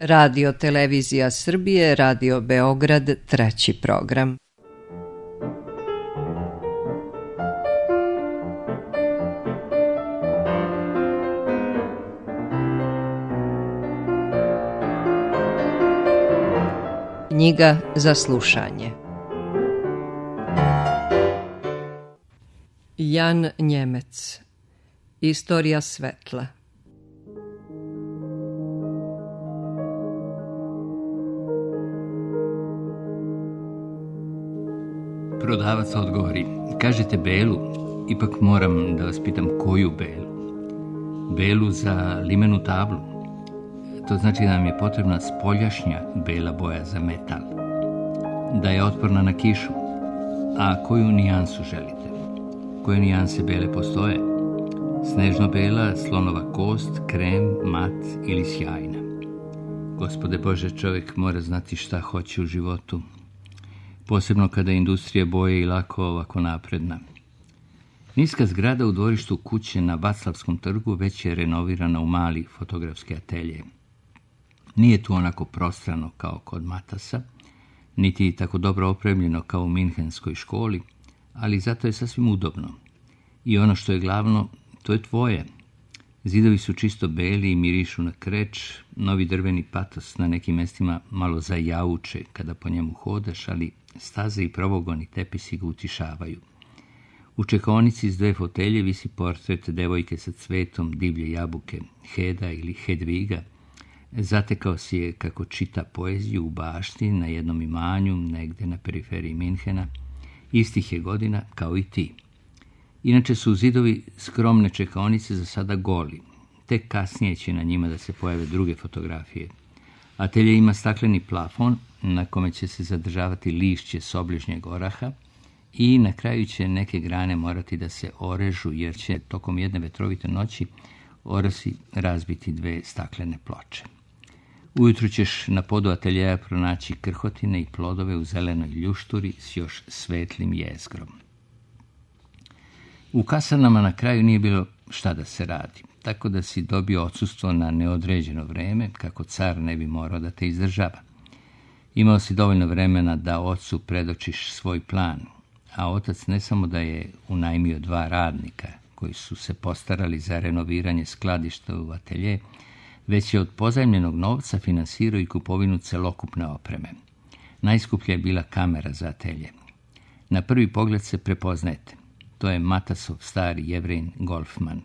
Radio Televizija Srbije, Radio Beograd, treći program. Knjiga za slušanje. Jan Njemec. Istorija svetla. Prodavac odgovori: kažete belu, ipak moram da vas pitam koju belu. Belu za limenu tablu. To znači da nam je potrebna spoljašnja bela boja za metal. Da je otporna na kišu. A koju nijansu želite? Koje nijanse bele postoje? Snežno bela, slonova kost, krem, mat ili sjajna. Gospode Bože, čovjek mora znati šta hoće u životu. Posebno kada je industrija boje i lako ovako napredna. Niska zgrada u dvorištu kuće na Vaclavskom trgu već je renovirana u mali fotografski atelje. Nije tu onako prostrano kao kod Matasa, niti tako dobro opremljeno kao u Minhenskoj školi, ali zato je sasvim udobno. I ono što je glavno, to je tvoje. Zidovi su čisto beli i mirišu na kreč, novi drveni patos na nekim mestima malo zajauče kada po njemu hodaš, ali staze i provogoni tepisi ga utišavaju. U čekaonici s 2 fotelje visi portret devojke sa cvetom divlje jabuke, Heda ili Hedviga. Zatekao si je kako čita poeziju u bašti na jednom imanju, negde na periferiji Minhena. Istih je godina kao i ti. Inače su zidovi skromne čekaonice za sada goli. Tek kasnije će na njima da se pojave druge fotografije. Atelje ima stakleni plafon na kome će se zadržavati lišće s obližnjeg oraha i na kraju će neke grane morati da se orežu jer će tokom jedne vetrovite noći orasi razbiti 2 staklene ploče. Ujutru ćeš na podu ateljeja pronaći krhotine i plodove u zelenoj ljušturi s još svetlim jezgrom. U kasarnama na kraju nije bilo šta da se radi, tako da si dobio odsustvo na neodređeno vreme, kako car ne bi morao da te izdržava. Imao si dovoljno vremena da ocu predočiš svoj plan, a otac ne samo da je unajmio 2 radnika koji su se postarali za renoviranje skladišta u atelje, već je od pozajmljenog novca finansirao i kupovinu celokupne opreme. Najskuplja je bila kamera za atelje. Na prvi pogled se prepoznajete. To je Matasov stari Jevrin Golfman.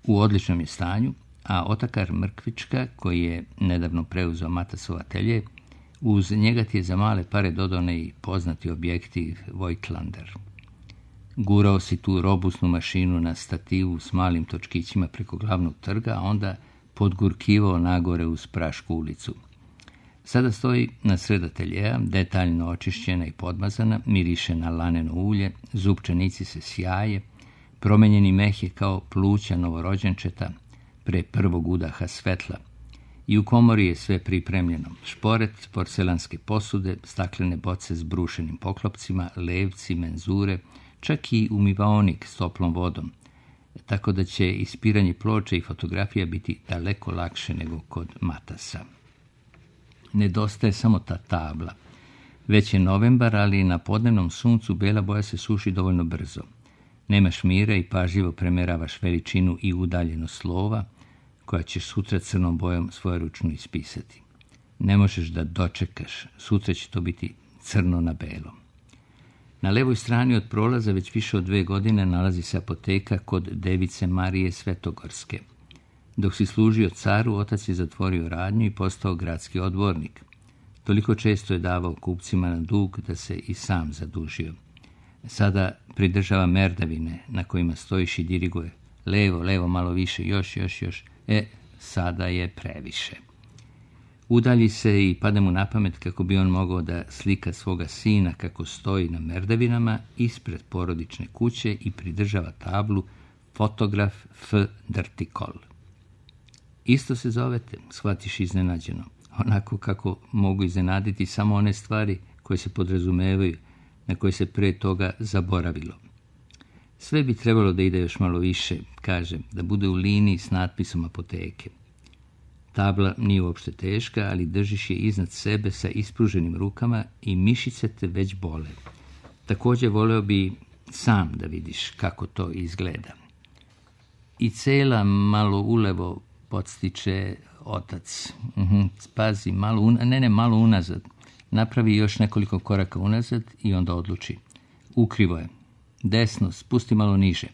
U odličnom je stanju, a otakar Mrkvička, koji je nedavno preuzeo Matasov atelje, uz njega ti je za male pare dodao i poznati objektiv Voigtlander. Gurao si tu robustnu mašinu na stativu s malim točkićima preko glavnog trga, a onda podgurkivao nagore uz Prašku ulicu. Sada stoji na sred ateljeja, detaljno očišćena i podmazana, miriše na laneno ulje, zupčanici se sjaje, promenjeni meh je kao pluća novorođenčeta pre prvog udaha svetla. I u komori je sve pripremljeno. Šporet, porcelanske posude, staklene boce s brušenim poklopcima, levci, menzure, čak i umivaonik s toplom vodom, tako da će ispiranje ploče i fotografija biti daleko lakše nego kod Matasa. Nedostaje samo ta tabla. Već je novembar, ali na podnevnom suncu bela boja se suši dovoljno brzo. Nemaš mira i pažljivo premeravaš veličinu i udaljenost slova, koja ćeš sutra crnom bojom svojeručno ispisati. Ne možeš da dočekaš, sutra će to biti crno na belom. Na levoj strani od prolaza već više od 2 godine nalazi se apoteka kod device Marije Svetogorske. Dok si služio caru, otac je zatvorio radnju i postao gradski odbornik. Toliko često je davao kupcima na dug da se i sam zadužio. Sada pridržava merdavine na kojima stojiš i diriguje. Levo, malo više, još. Sada je previše. Udalji se i pada mu na pamet kako bi on mogao da slika svoga sina kako stoji na merdavinama ispred porodične kuće i pridržava tablu Fotograf F. Drtikol. Isto se zovete, shvatiš iznenađeno. Onako kako mogu iznenaditi samo one stvari koje se podrazumevaju, na koje se pre toga zaboravilo. Sve bi trebalo da ide još malo više, kaže, da bude u liniji s natpisom apoteke. Tabla nije uopšte teška, ali držiš je iznad sebe sa ispruženim rukama i mišice te već bole. Također voleo bi sam da vidiš kako to izgleda. I cela malo ulevo podstiče otac. Pazi, malo unazad. Napravi još nekoliko koraka unazad i onda odluči. Ukrivo je. Desno, spusti malo niže.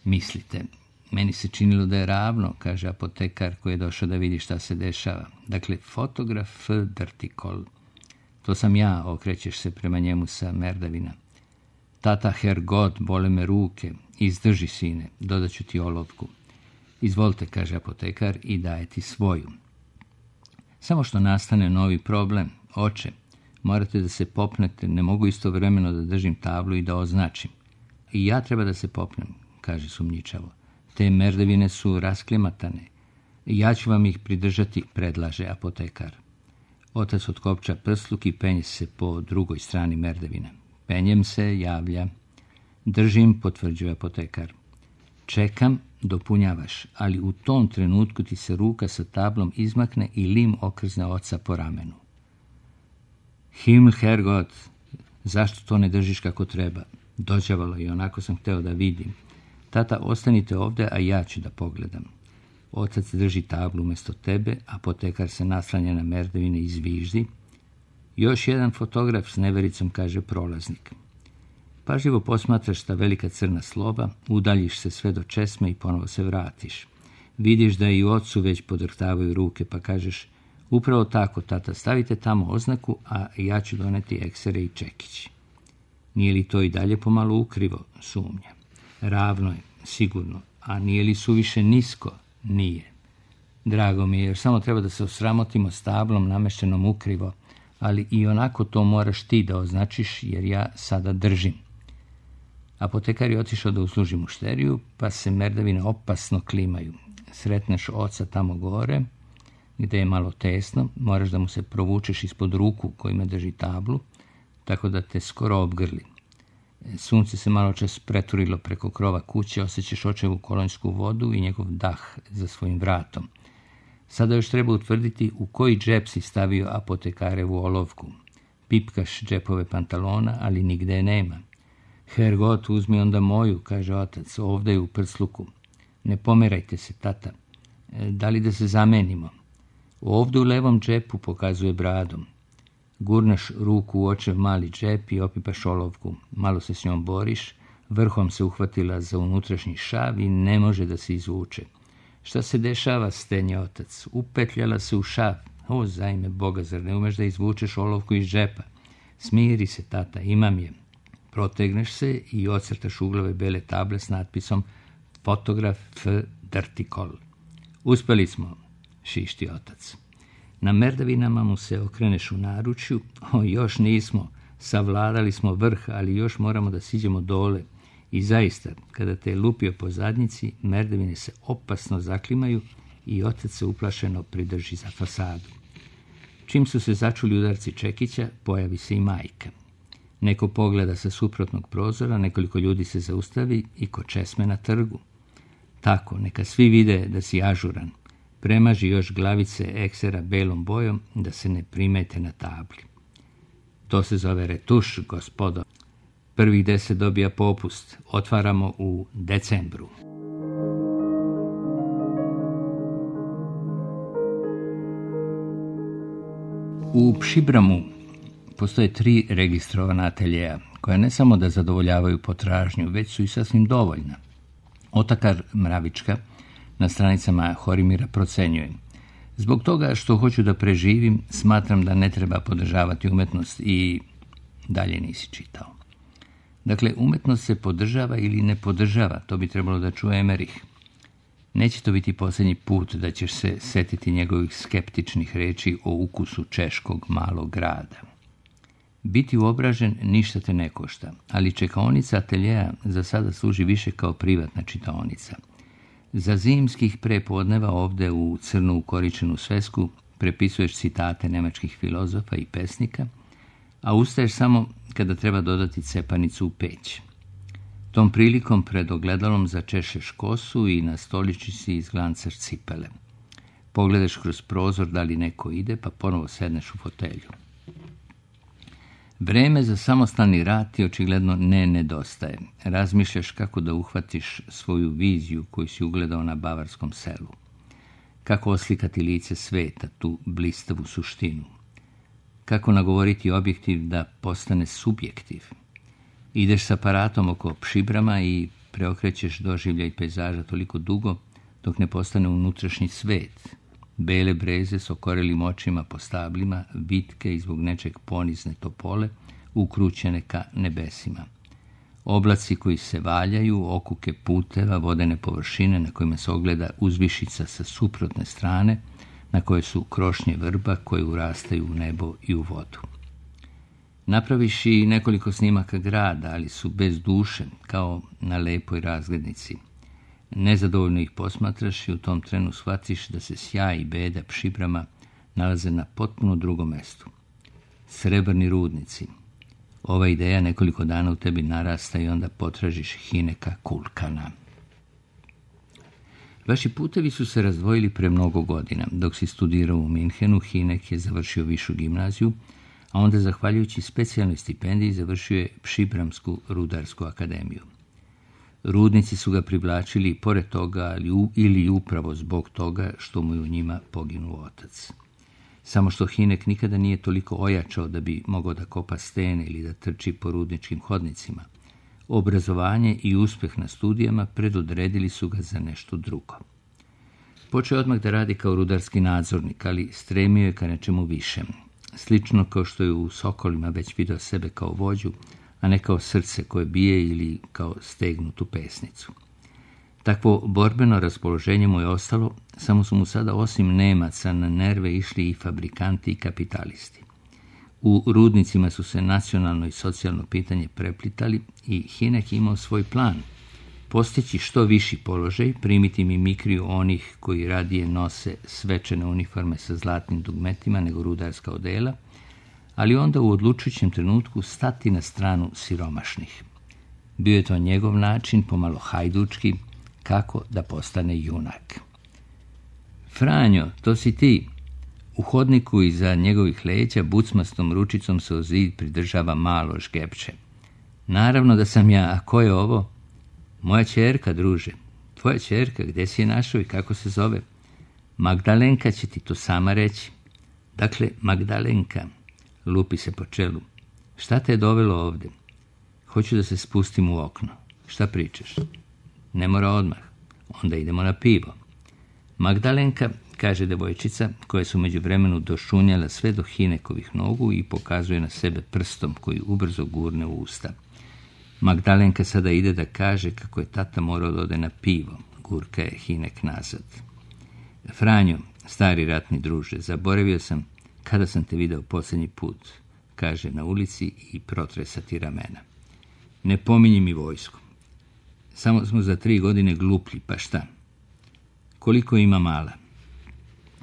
Mislite, meni se činilo da je ravno, kaže apotekar koji je došao da vidi šta se dešava. Dakle, fotograf vertikal. To sam ja, okrećeš se prema njemu sa merdavina. Tata Hergot, bole me ruke. Izdrži, sine, dodat ću ti olovku. Izvolite, kaže apotekar i daje ti svoju. Samo što nastane novi problem. Oče, morate da se popnete, ne mogu istovremeno da držim tablu i da označim. I ja treba da se popnem, kaže sumnjičavo. Te merdevine su rasklimatane. Ja ću vam ih pridržati, predlaže apotekar. Otac otkopča prsluk i penje se po drugoj strani merdevina. Penjem se, javlja. Držim, potvrđuje apotekar. Čekam, dopunjavaš, ali u tom trenutku ti se ruka sa tablom izmakne i lim okrzne oca po ramenu. Himmel, Herrgott, zašto to ne držiš kako treba? Dođavalo i onako sam hteo da vidim. Tata, ostanite ovdje, a ja ću da pogledam. Otac drži tablu umjesto tebe, apotekar se naslanja na merdevine i zviždi. Još jedan fotograf s nevericom, kaže prolaznik. Pažljivo posmatraš ta velika crna slova, udaljiš se sve do česme i ponovo se vratiš. Vidiš da i ocu već podrhtavaju ruke, pa kažeš, upravo tako, tata, stavite tamo oznaku, a ja ću doneti eksere i čekić. Nije li to i dalje pomalo ukrivo? Sumnja. Ravno je, sigurno, a nije li suviše nisko? Nije. Drago mi je, jer samo treba da se osramotimo s tablom nameštenom ukrivo, ali i onako to moraš ti da označiš, jer ja sada držim. Apotekar je otišao da usluži mušteriju, pa se merdavine opasno klimaju. Sretneš oca tamo gore, gde je malo tesno, moraš da mu se provučeš ispod ruku kojima drži tablu, tako da te skoro obgrli. Sunce se malo čas preturilo preko krova kuće, osjećaš očevu kolonjsku vodu i njegov dah za svojim vratom. Sada još treba utvrditi u koji džep si stavio apotekarevu olovku. Pipkaš džepove pantalona, ali nigde je nema. Herrgott, uzmi onda moju, kaže otac, ovdje je u prsluku. Ne pomerajte se, tata. Da li da se zamenimo? Ovdje u levom džepu, pokazuje bradom. Gurnaš ruku u očev mali džep i opipaš olovku. Malo se s njom boriš, vrhom se uhvatila za unutrašnji šav i ne može da se izvuče. Šta se dešava, stenje otac? Upetljala se u šav. O, zajme Boga, zar ne umeš da izvučeš olovku iz džepa? Smiri se, tata, imam je. Protegneš se i ocrtaš uglove bele table s natpisom fotograf vertikal. Uspeli smo, šišti otac. Na merdavinama mu se okreneš u naručju. O, još nismo. Savladali smo vrh, ali još moramo da siđemo dole. I zaista, kada te je lupio po zadnjici, merdavine se opasno zaklimaju i otac se uplašeno pridrži za fasadu. Čim su se začuli udarci čekića, pojavi se i majka. Neko pogleda sa suprotnog prozora, nekoliko ljudi se zaustavi i kod česme na trgu. Tako, neka svi vide da si ažuran. Premaži još glavice eksera belom bojom da se ne primete na tabli. To se zove retuš, gospodo. Prvih 10 dobija popust. Otvaramo u decembru. U Pšibramu postoje 3 registrovana ateljeja, koja ne samo da zadovoljavaju potražnju, već su i sasvim dovoljna. Otakar Mravička na stranicama Horimira procenjuje: zbog toga što hoću da preživim, smatram da ne treba podržavati umetnost i dalje nisi čitao. Dakle, umetnost se podržava ili ne podržava, to bi trebalo da čuje Emerich. Neće to biti posljednji put da ćeš se setiti njegovih skeptičnih reči o ukusu češkog malog grada. Biti uobražen ništa te ne košta, ali čekaonica ateljeja za sada služi više kao privatna čitaonica. Za zimskih prepodneva ovdje u crnu ukoričenu svesku prepisuješ citate nemačkih filozofa i pesnika, a ustaješ samo kada treba dodati cepanicu u peć. Tom prilikom pred ogledalom začešeš kosu i na stoličici izglancaš cipele. Pogledaš kroz prozor da li neko ide, pa ponovo sedneš u fotelju. Vreme za samostalni rad ti očigledno ne nedostaje. Razmišljaš kako da uhvatiš svoju viziju koju si ugledao na bavarskom selu. Kako oslikati lice sveta, tu blistavu suštinu. Kako nagovoriti objektiv da postane subjektiv. Ideš s aparatom oko Pšibrama i preokrećeš doživljaj pejzaža toliko dugo dok ne postane unutrašnji svet. Bele breze s okorelim očima po stablima, vitke i zbog nečeg ponizne topole, ukrućene ka nebesima. Oblaci koji se valjaju, okuke puteva, vodene površine na kojima se ogleda uzvišica sa suprotne strane, na koje su krošnje vrba koje urastaju u nebo i u vodu. Napraviš i nekoliko snimaka grada, ali su bez duše, kao na lepoj razglednici. Nezadovoljno ih posmatraš i u tom trenu shvatiš da se sjaj i beda Pšibrama nalaze na potpuno drugom mestu. Srebrni rudnici. Ova ideja nekoliko dana u tebi narasta i onda potražiš Hineka Kulkana. Vaši putevi su se razdvojili pre mnogo godina. Dok si studirao u Minhenu, Hinek je završio višu gimnaziju, a onda, zahvaljujući specijalnoj stipendiji, završio je Pšibramsku rudarsku akademiju. Rudnici su ga privlačili pored toga ili upravo zbog toga što mu je u njima poginuo otac. Samo što Hinek nikada nije toliko ojačao da bi mogao da kopa stene ili da trči po rudničkim hodnicima. Obrazovanje i uspeh na studijama predodredili su ga za nešto drugo. Počeo odmah da radi kao rudarski nadzornik, ali stremio je ka nečemu višem. Slično kao što je u Sokolima već video sebe kao vođu, a ne kao srce koje bije ili kao stegnutu pesnicu. Takvo borbeno raspoloženje mu je ostalo, samo su mu sada osim Nemaca na nerve išli i fabrikanti i kapitalisti. U rudnicima su se nacionalno i socijalno pitanje preplitali i Hinek imao svoj plan. Postići što viši položaj, primiti mimikriju onih koji radije nose svečane uniforme sa zlatnim dugmetima nego rudarska odela, ali onda u odlučujućem trenutku stati na stranu siromašnih. Bio je to njegov način, pomalo hajdučki, kako da postane junak. Franjo, to si ti. U hodniku iza njegovih leđa bucmastom ručicom se o zid pridržava malo žgepče. Naravno da sam ja, a ko je ovo? Moja ćerka, druže. Tvoja ćerka, gde si je našao i kako se zove? Magdalenka će ti to sama reći. Dakle, Magdalenka. Lupi se po čelu. Šta te je dovelo ovde? Hoću da se spustim u okno. Šta pričaš? Ne mora odmah. Onda idemo na pivo. Magdalenka, kaže devojčica, koja su međuvremenu došunjala sve do Hinekovih nogu i pokazuje na sebe prstom koji ubrzo gurne u usta. Magdalenka sada ide da kaže kako je tata morao da ode na pivo. Gurka je Hinek nazad. Franjo, stari ratni druže, zaboravio sam kada sam te video posljednji put, kaže na ulici i protresa ti ramena. Ne pominji mi vojsku. Samo smo za 3 godine gluplji, pa šta? Koliko ima mala?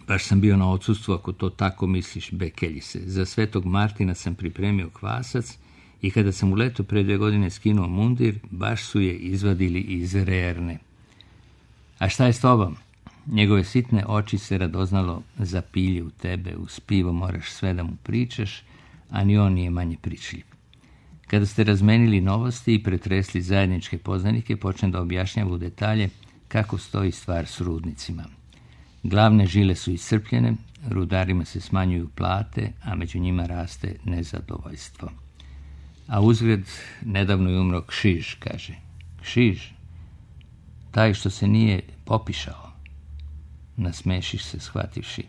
Baš sam bio na odsustvu, ako to tako misliš, bekelji se. Za Svetog Martina sam pripremio kvasac i kada sam u leto pre 2 godine skinuo mundir, baš su je izvadili iz rerne. A šta je s tobom? Njegove sitne oči se radoznalo zapilje u tebe, uz pivo moraš sve da mu pričaš, a ni on nije manje pričljiv. Kada ste razmenili novosti i pretresli zajedničke poznanike, počne da objašnjava u detalje kako stoji stvar s rudnicima. Glavne žile su iscrpljene, rudarima se smanjuju plate, a među njima raste nezadovoljstvo. A uzgred nedavno je umro Kšiž, kaže. Kšiž? Taj što se nije popišao. Nasmešiš se, shvativši.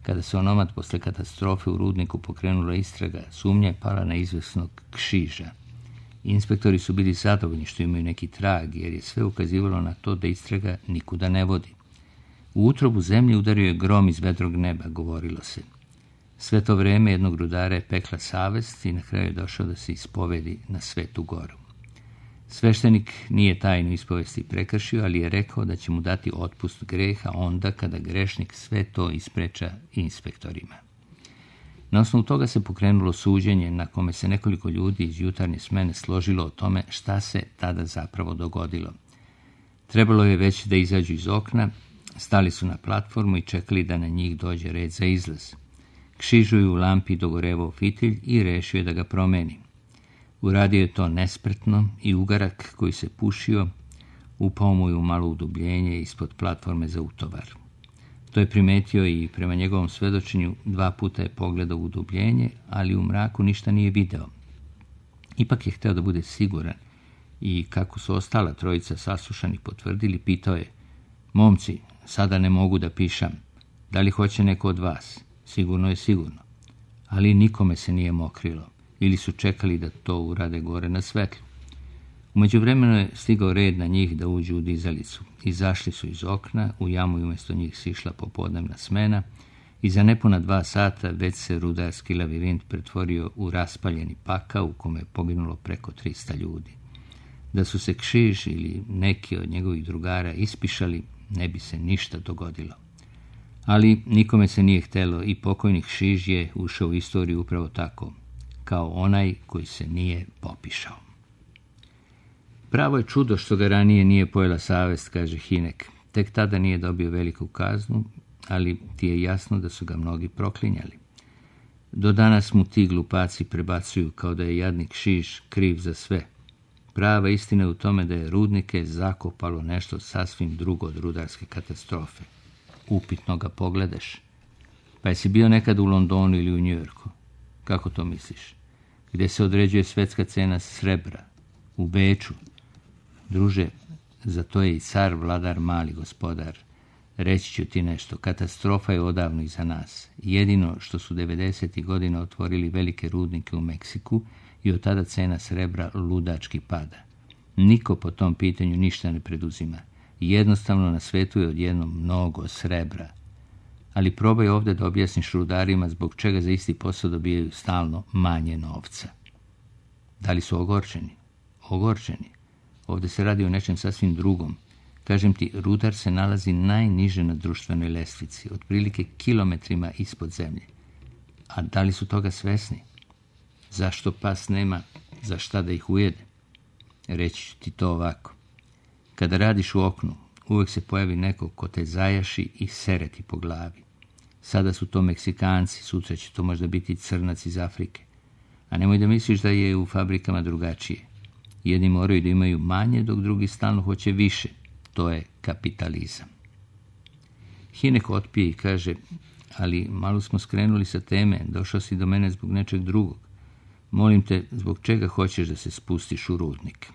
Kada se onomad posle katastrofe u rudniku pokrenula istraga, sumnja je pala na izvesnog Kšiža. Inspektori su bili zadovoljni što imaju neki trag, jer je sve ukazivalo na to da istraga nikuda ne vodi. U utrobu zemlje udario je grom iz vedrog neba, govorilo se. Sve to vreme jednog rudara je pekla savest i na kraju je došao da se ispovedi na Svetu Goru. Sveštenik nije tajnu ispovesti prekršio, ali je rekao da će mu dati otpust greha onda kada grešnik sve to ispreča inspektorima. Na osnovu toga se pokrenulo suđenje na kome se nekoliko ljudi iz jutarnje smene složilo o tome šta se tada zapravo dogodilo. Trebalo je već da izađu iz okna, Stali su na platformu i čekali da na njih dođe red za izlaz. Kšižu je u lampi dogorevao fitilj i rešio je da ga promeni. Uradio je to nespretno i ugarak koji se pušio upao mu je u malo udubljenje ispod platforme za utovar. To je primetio i prema njegovom svedočenju 2 puta je pogledao u udubljenje, ali u mraku ništa nije video. Ipak je hteo da bude siguran i kako su ostala trojica saslušanih potvrdili, pitao je: "Momci, sada ne mogu da pišam. Da li hoće neko od vas?" "Sigurno je sigurno." Ali nikome se nije mokrilo ili su čekali da to urade gore na svetlu. U međuvremenu je stigao red na njih da uđu u dizalicu. Izašli su iz okna, u jamu i umjesto njih sišla popodnevna smena i za nepuna 2 sata već se rudarski labirint pretvorio u raspaljeni pakao u kome je poginulo preko 300 ljudi. Da su se Kšiž ili neki od njegovih drugara ispišali, ne bi se ništa dogodilo. Ali nikome se nije htelo i pokojni Kšiž je ušao u istoriju upravo tako, kao onaj koji se nije popišao. Pravo je čudo što ga ranije nije pojela savest, kaže Hinek. Tek tada nije dobio veliku kaznu, ali ti je jasno da su ga mnogi proklinjali. Do danas mu ti glupaci prebacuju kao da je jadnik Kšiž kriv za sve. Prava istina je u tome da je rudnike zakopalo nešto sasvim drugo od rudarske katastrofe. Upitno ga pogledaš. Pa jesi bio nekad u Londonu ili u Njujorku? Kako to misliš? Gdje se određuje svetska cena srebra? U Beču? Druže, za to je i car vladar mali gospodar. Reći ću ti nešto, katastrofa je odavno iza nas. Jedino što su 90. godina otvorili velike rudnike u Meksiku i od tada cena srebra ludački pada. Niko po tom pitanju ništa ne preduzima. Jednostavno na svetu je odjednom mnogo srebra. Ali probaj ovdje da objasniš rudarima zbog čega za isti posao dobijaju stalno manje novca. Da li su ogorčeni? Ogorčeni. Ovdje se radi o nečem sasvim drugom. Kažem ti, rudar se nalazi najniže na društvenoj lestvici, otprilike kilometrima ispod zemlje. A da li su toga svesni? Zašto pas nema za šta da ih ujede? Reći ću ti to ovako. Kada radiš u oknu, uvijek se pojavi neko ko te zajaši i sere ti po glavi. Sada su to Meksikanci, sutra će to možda biti Crnac iz Afrike. A nemoj da misliš da je u fabrikama drugačije. Jedni moraju da imaju manje, dok drugi stalno hoće više. To je kapitalizam. Hinek otpije i kaže: "Ali malo smo skrenuli sa teme, došao si do mene zbog nečeg drugog. Molim te, zbog čega hoćeš da se spustiš u rudnik?"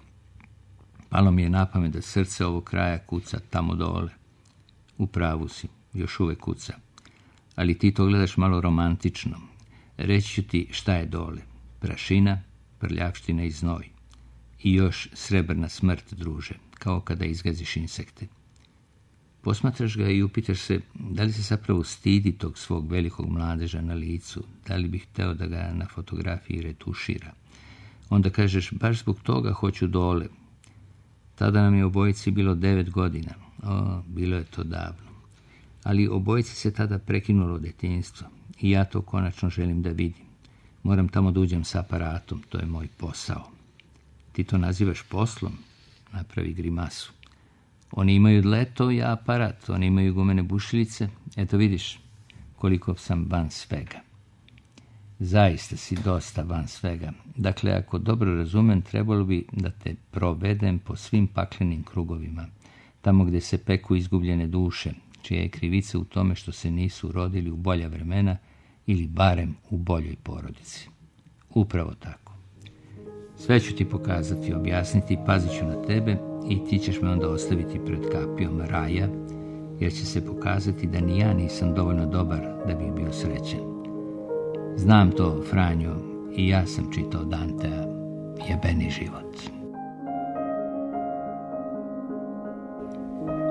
Palo mi je na pamet da srce ovog kraja kuca tamo dole. U pravu si, još uvek kuca. Ali ti to gledaš malo romantično. Reći ću ti šta je dole. Prašina, prljavština i znoj. I još srebrna smrt, druže, kao kada izgaziš insekte. Posmatraš ga i upitaš se da li se zapravo stidi tog svog velikog mladeža na licu, da li bi hteo da ga na fotografiji retušira. Onda kažeš, baš zbog toga hoću dole. Tada nam je obojici bilo 9 godina. Bilo je to davno. Ali obojici se tada prekinulo djetinjstvo i ja to konačno želim da vidim. Moram tamo da uđem s aparatom, to je moj posao. Ti to nazivaš poslom? Napravi grimasu. Oni imaju dleto, ja aparat. Oni imaju gumene bušilice. Eto vidiš koliko sam van svega. Zaista si dosta van svega. Dakle, ako dobro razumem, trebalo bi da te provedem po svim paklenim krugovima, tamo gdje se peku izgubljene duše, čija je krivica u tome što se nisu rodili u bolja vremena ili barem u boljoj porodici. Upravo tako. Sve ću ti pokazati, objasniti, pazit ću na tebe i ti ćeš me onda ostaviti pred kapijom raja, jer će se pokazati da ni ja nisam dovoljno dobar da bih bio srećen. Znam to, Franjo, i ja sam čitao Dantea, Jebeni život.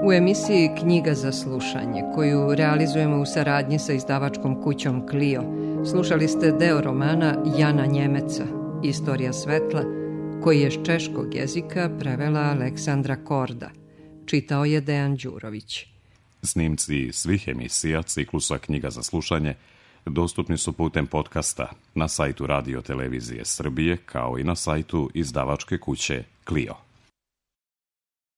U emisiji Knjiga za slušanje, koju realizujemo u saradnji sa izdavačkom kućom Clio, slušali ste deo romana Jana Njemeca, Istorija svetla, koji je s češkog jezika prevela Aleksandra Korda. Čitao je Dejan Đurović. Snimci svih emisija ciklusa Knjiga za slušanje dostupni su putem podcasta na sajtu Radio Televizije Srbije, kao i na sajtu izdavačke kuće Clio.